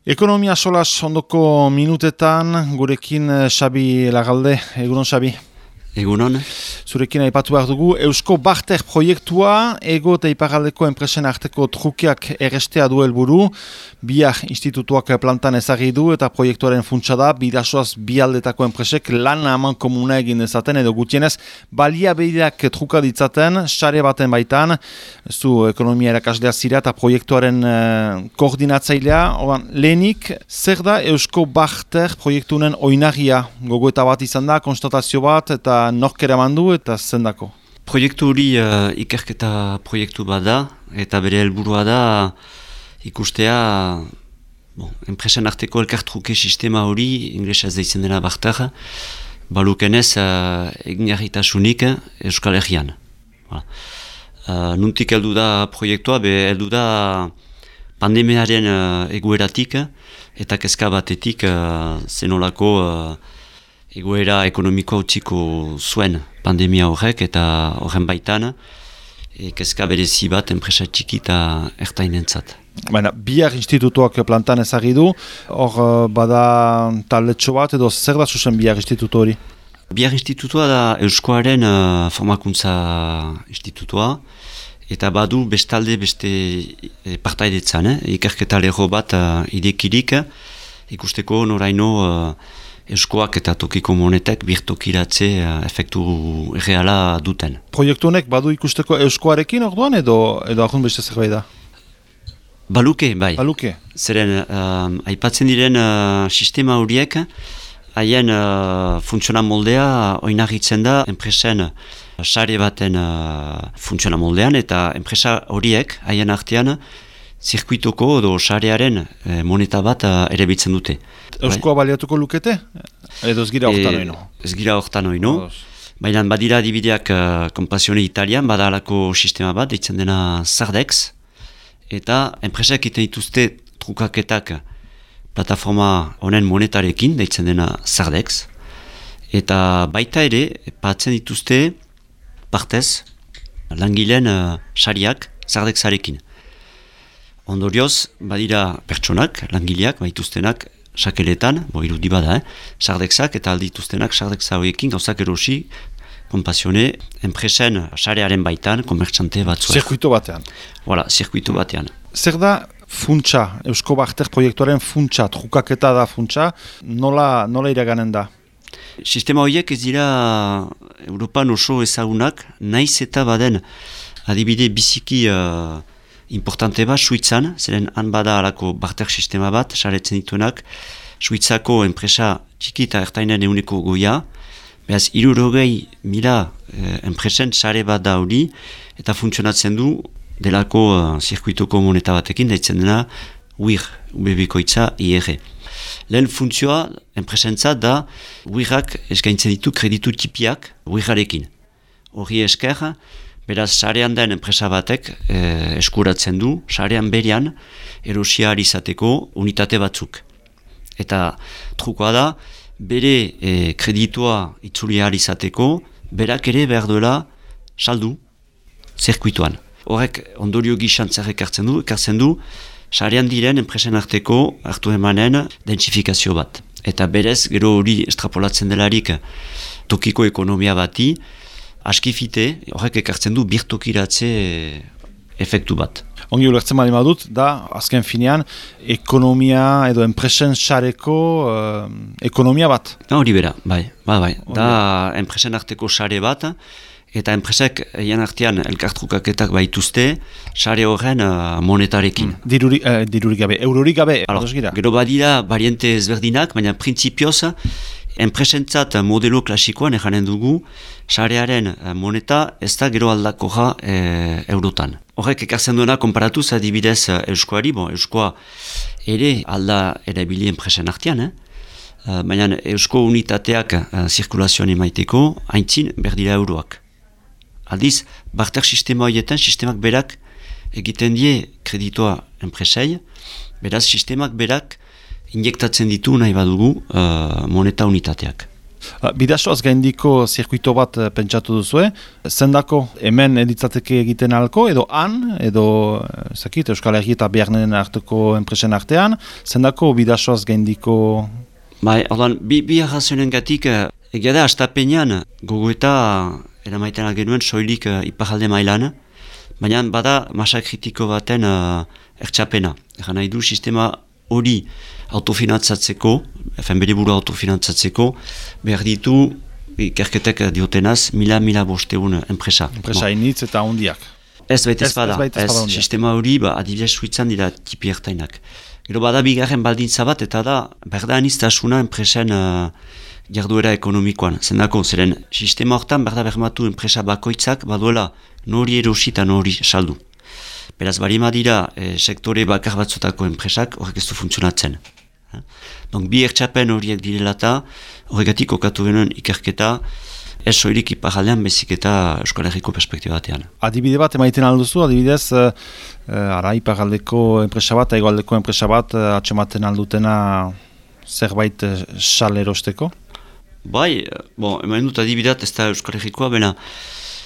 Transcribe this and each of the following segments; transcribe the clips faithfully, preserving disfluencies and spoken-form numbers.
Ekonomia solas ondoko minutetan, gurekin Xabi Lagalde, egunon Xabi. Egunon. Zurekin aipatu behar dugu, Eusko Barter proiektua, ego eta iparraldeko enpresen arteko trukeak errestea du helburu, biak institutuak plantan ezagri du eta proiektuaren funtsa da, bidasoaz bialdetako enpresek lan haman komuna egin dezaten, edo gutienez, baliabideak truka ditzaten, sare baten baitan, zu ekonomia erakaslea zira eta proiektuaren eh, koordinatzailea, oran, lehenik, zer da Eusko Barter proiektunen oinagia, gogoeta bat izan da, konstatazio bat, eta nork eraman du eta zendako? Proiektu hori uh, ikerketa proiektu bat da, eta bere helburua da ikustea bon, enpresen arteko elkartruke sistema hori, inglesez deitzen dena Barter, balukenez uh, egingarritasunik Euskal Herrian. Voilà. Uh, nuntik heldu da proiektua, be heldu da pandemiaren uh, egoeratik eta kezka batetik uh, zenolako uh, egoera ekonomiko utziko zuen pandemia horrek eta horren baitan e, kezka berezi bat enpresa txiki eta ertainentzat. Baina, biak institutuak plantan ezagri du, hor bada taldetxo bat edo zer da zuzen biak institutu hori? Biak institutua da Euskoaren uh, formakuntza institutua eta badu bestalde beste e, partaidetzan, eh? ikerketa lego bat uh, idekirik ikusteko noraino uh, Euskoak eta tokiko monetek birtokiratze uh, efektu erreala duten. Proiektu honek badu ikusteko Euskoarekin orduan edo edo ahun beste zerbait da? Baluke, bai. Baluke. Zeren, uh, aipatzen diren uh, sistema horiek, haien uh, funtziona moldea oinarritzen da enpresen sare baten uh, funtziona moldean eta enpresa horiek haien artean zirkuitoko edo sarearen eh, moneta bat uh, ere bitzen dute. Euskoa baliatuko lukete? Edo ez gira hortan oino? E, ez gira hortan oino. Baina badira dibideak uh, Compassione Italian, bada alako sistema bat, deitzen dena Sardex. Eta enpresak iten dituzte trukaketak plataforma honen monetarekin, deitzen dena Sardex. Eta baita ere, patzen dituzte partez langileen uh, sariak Sardexarekin. Ondorioz, badira pertsonak, langileak, baituztenak, sakeletan, bo irudi bada, eh? Sardexak eta aldituztenak Sardexa horiekin gauzak erosi, Compassione, enpresen sarearen baitan, komertxante batzuek. Zirkuito batean. Voilà, zirkuito batean. Zer da funtsa, Eusko Barter proiektuaren funtsa, trukaketa da funtsa, nola, nola iraganen da? Sistema horiek ez dira Europan oso ezagunak, naiz eta baden adibide biziki uh, importante bat, Suitzan, zeren han bada alako barter sistema bat, saretzen dituenak, Suitzako enpresa txiki eta ertainen euneko goia, behaz, hirurogei mila eh, enpresen sare bat da hori, eta funtzionatzen du delako uh, zirkuitoko moneta batekin, daitzen dena U I R, U B bikoitza I R. Lehen funtzioa, enpresentzat da, U I R-ak eskaintzen ditu kreditu tipiak U I R-arekin. Hori esker, beraz, sarean den enpresa batek eh, eskuratzen du, sarean berian erosia izateko unitate batzuk. Eta trukoa da, bere eh, kreditua itzuli izateko, berak ere behar duela saldu zirkuituan. Horrek ondorio gizan zer ekartzen du, ekartzen du, sarean diren enpresen arteko hartu emanen densifikazio bat. Eta berez, gero hori estrapolatzen delarik tokiko ekonomia bati, askifite, horrek ekartzen du birtokiratze efektu bat. Ongi ulertzen bali madut, da, azken finean, ekonomia edo enpresen sareko uh, ekonomia bat. Hori bera, bai, bai, bai. Da, enpresen arteko sare bat, eta enpresek egin artean elkartrukaketak baituzte, sare horren uh, monetarekin. Mm. Diruri, uh, dirurik gabe, eurorik gabe, Alors, gero badira variante ezberdinak, baina printzipioz, enpresentzat modelo klasikoan eganen dugu, sarearen moneta ez da gero aldakoja e, eurotan. Horrek ekartzen duena konparatuz adibidez Euskoari, bon, Euskoa ere alda erabili enpresen artean, eh? baina Eusko unitateak uh, zirkulazioan emaiteko haintzin berdira euroak. Aldiz, barter sistema horietan, sistemak berak egiten die kreditoa enpresei, beraz sistemak berak injektatzen ditu nahi badugu uh, moneta unitateak. Bidasoaz gaindiko zirkuito bat pentsatu duzue, zendako hemen editzateke egiten alko, edo han, edo zakit, Euskal Herri eta Bearnen arteko enpresen artean, zendako bidasoaz gaindiko... Bai, ordan, bi, bi arrazioen gatik, egia da, astapenean gogoeta eramaiten algenuen soilik uh, iparalde mailan, baina bada masa kritiko baten uh, ertxapena. Egan nahi du, sistema hori autofinantzatzeko, efen bere buru autofinantzatzeko, behar ditu, ikerketek diotenaz, mila-mila bosteun enpresa. Enpresa initz eta hondiak. Ez baita ez bada, ez, ez, ez sistema hori, ba, adibidez suitzan dira tipi ertainak. Gero bada bigarren baldintza bat, eta da, berda aniztasuna enpresen uh, jarduera ekonomikoan. Zendako, zeren sistema hortan berda bermatu enpresa bakoitzak, baduela nori erosi eta nori saldu. Beraz, barima dira, e, sektore bakar batzutako enpresak horrek ez du funtzionatzen. Eh? Donc, bi ertxapen horiek direla eta horregatik okatu genuen ikerketa, ez soilik iparaldean bezik eta Euskal Herriko perspektiba batean. Adibide bat emaiten alduzu, adibidez, uh, ara iparaldeko enpresa bat, egoaldeko enpresa bat, uh, atxematen aldutena zerbait uh, sal erosteko? Bai, bon, emain dut adibidat ez da Euskal Herrikoa, bena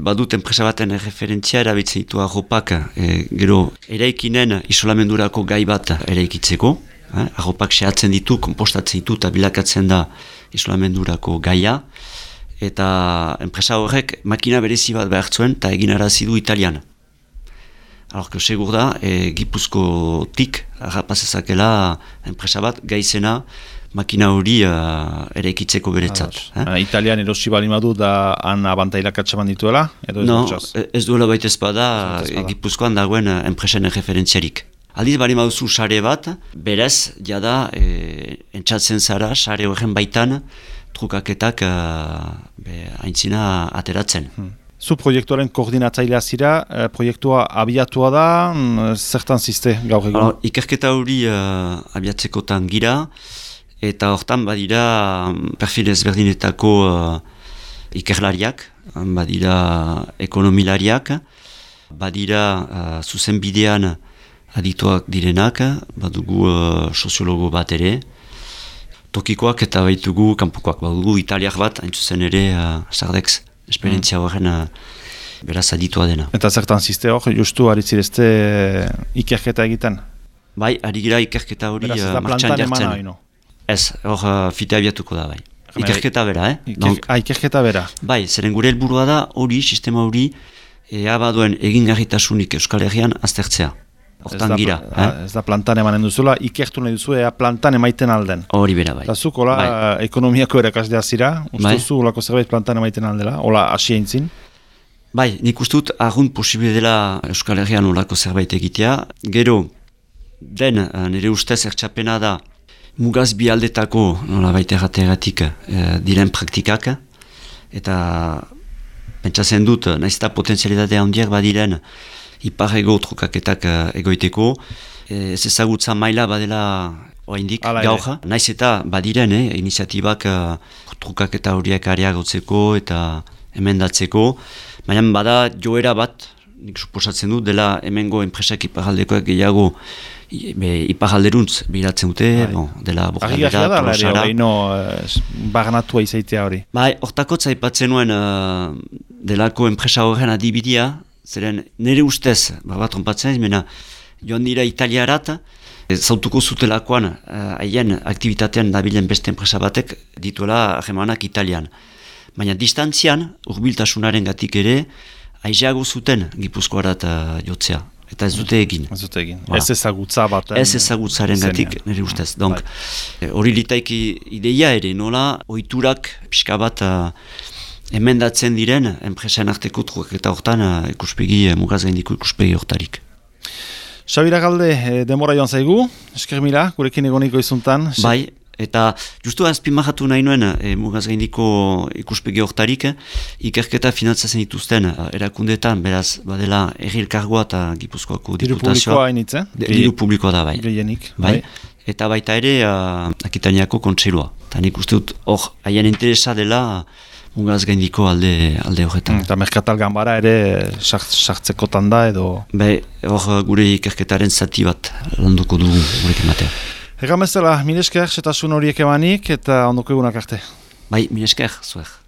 badut enpresa baten referentzia erabiltzen ditu arropak, e, gero eraikinen isolamendurako gai bat eraikitzeko, eh? Arropak sehatzen ditu, kompostatzen ditu eta bilakatzen da isolamendurako gaia, eta enpresa horrek makina berezi bat behar zuen eta egin arazi du Italian. Alorko segur da, e, Gipuzkotik harrapazezakela enpresa bat gaizena makina hori uh, ere ekitzeko beretzat. Eh? Uh, Italian erosi bali madu da han abantailak atxaman dituela? Edo ez no, dutxaz? Ez duela baita ezpada, Gipuzkoan dagoen uh, enpresen referentziarik. Aldiz bali maduzu sare bat, berez, jada, e, entzatzen zara, sare horren baitan, trukaketak uh, be, aintzina ateratzen. Hmm. Zu proiektuaren koordinatzailea zira, eh, proiektua abiatua da, mm, zertan ziste gaur egun? Alors, ikerketa hori uh, abiatzekotan gira, eta hortan badira perfil ezberdinetako uh, ikerlariak, badira ekonomilariak, badira uh, zuzenbidean adituak direnak, badugu uh, soziologo bat ere, tokikoak eta baitugu kanpokoak, badugu italiak bat, hain zuzen ere uh, Sardex esperientzia horren uh, beraz aditua dena. Eta zertan ziste hor, justu aritzirezte ikerketa egiten? Bai, ari gira ikerketa hori uh, martxan jartzen. Ez, hor uh, fite abiatuko da bai. Ikerketa bera, eh? Iker, Donc, ah, ikerketa bera. Bai, zeren gure helburua da hori, sistema hori, ea baduen egingarritasunik Euskal Herrian aztertzea. Hortan gira. Da, eh? Ez da plantan emanen duzula, ikertu nahi duzu, ea plantan emaiten alden. Hori bera bai. Eta zuk, hola, bai. Ekonomiako erakaslea zira, ustuzu, holako zerbait plantan emaiten aldela, hola, hasi eintzin? Bai, nik ustut, argunt posible dela Euskal Herrian holako zerbait egitea. Gero, den, nire ustez ertxapena da, mugaz bi aldetako, nola baita errateagatik, e, diren praktikak, eta pentsatzen dut, nahiz eta potenzialitatea handiak badiren, iparrego trukaketak egoiteko, e, ez ezagutza maila badela oraindik gaur, nahiz eta badiren, eh, iniziatibak uh, trukaketa horiek areagotzeko eta emendatzeko, baina bada joera bat, nik suposatzen dut, dela hemengo enpresak iparaldekoak gehiago iparalderuntz biratzen dute, bon, dela bokaldera, tolosara. Argi no, barnatua izaitea hori. Bai, hortakotza ipatzen nuen uh, delako enpresa horren adibidea, zeren nire ustez, bat trompatzen ez, mena, joan dira italiarat, zautuko zutelakoan haien uh, aktivitatean dabilen beste enpresa batek dituela harremanak Italian. Baina distantzian, urbiltasunaren gatik ere, aizeago zuten Gipuzkoarat uh, jotzea. Eta ez dute egin. Ez dute egin. Voilà. Ez ezagutza bat. Ez ezagutzaren gatik, nire ustez. Donc, hori litaiki ideia ere, nola, ohiturak pixka bat uh, emendatzen diren, enpresen arteko truk eta hortan uh, ikuspegi, uh, mugaz gaindiko ikuspegi hortarik. Xabi Lagalde, eh, demora joan zaigu, esker mila, gurekin egoniko izuntan. Bai, eta justu azpimahatu nahi nuen e, mugaz gaindiko ikuspegi hortarik, ikerketa finantzatzen dituzten erakundeetan, beraz, badela errilkargoa eta Gipuzkoako diputazioa. Diru publikoa hainitze? Diru publikoa da, bai. Gehienik. Bai. Eta baita ere, uh, Akitaniako kontseilua. Eta nik uste dut, hor, haien interesa dela mugaz gaindiko alde, alde horretan. Eta merkatal ganbara ere sartzekotan da edo... Bai, hor gure ikerketaren zati bat landuko dugu gurekin batean. Egan bezala, mil esker, setasun horiek emanik eta ondoko egunak arte. Bai, minesker, zuer.